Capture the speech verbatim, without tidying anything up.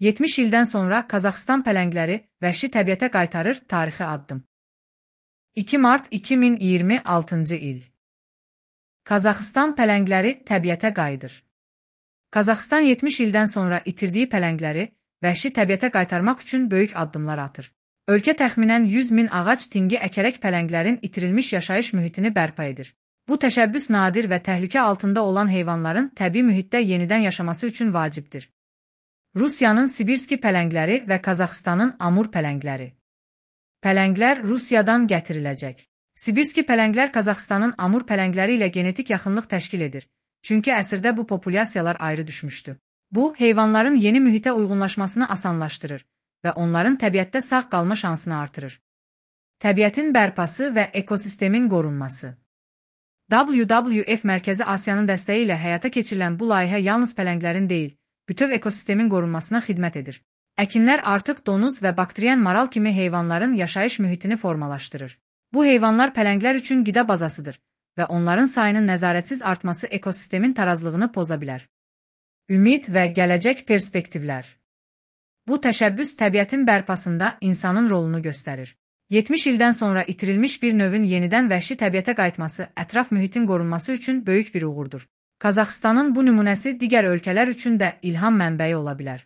yetmiş ildən sonra Qazaxıstan pələngləri vəhşi təbiətə qaytarır tarixi addım. iki mart iki min iyirmi altıncı il. Qazaxıstan pələngləri təbiətə qayıdır. Qazaxıstan yetmiş ildən sonra itirdiyi pələngləri vəhşi təbiətə qaytarmaq üçün böyük addımlar atır. Ölkə təxminən yüz min ağac tinqi əkərək pələnglərin itirilmiş yaşayış mühitini bərpa edir. Bu təşəbbüs nadir və təhlükə altında olan heyvanların təbii mühitdə yenidən yaşaması üçün vacibdir. Rusiyanın Sibirski pələngləri və Qazaxıstanın Amur pələngləri. Pələnglər Rusiyadan gətiriləcək. Sibirski pələnglər Qazaxıstanın Amur pələngləri ilə genetik yaxınlıq təşkil edir. Çünki əsrdə bu populyasiyalar ayrı düşmüşdü. Bu, heyvanların yeni mühitə uyğunlaşmasını asanlaşdırır və onların təbiətdə sağ qalma şansını artırır. Təbiətin bərpası və ekosistemin qorunması. W W F Mərkəzi Asiyanın dəstəyi ilə həyata keçirilən bu layihə yalnız pələnglərin deyil, bütöv ekosistemin qorunmasına xidmət edir. Əkinlər artıq donuz və bakteriyen maral kimi heyvanların yaşayış mühitini formalaşdırır. Bu heyvanlar pələnglər üçün qida bazasıdır və onların sayının nəzarətsiz artması ekosistemin tarazlığını poza bilər. Ümid və gələcək perspektivlər. Bu təşəbbüs təbiətin bərpasında insanın rolunu göstərir. yetmiş ildən sonra itirilmiş bir növün yenidən vəhşi təbiətə qayıtması ətraf mühitin qorunması üçün böyük bir uğurdur. Qazaxıstanın bu nümunəsi digər ölkələr üçün də ilham mənbəyi ola bilər.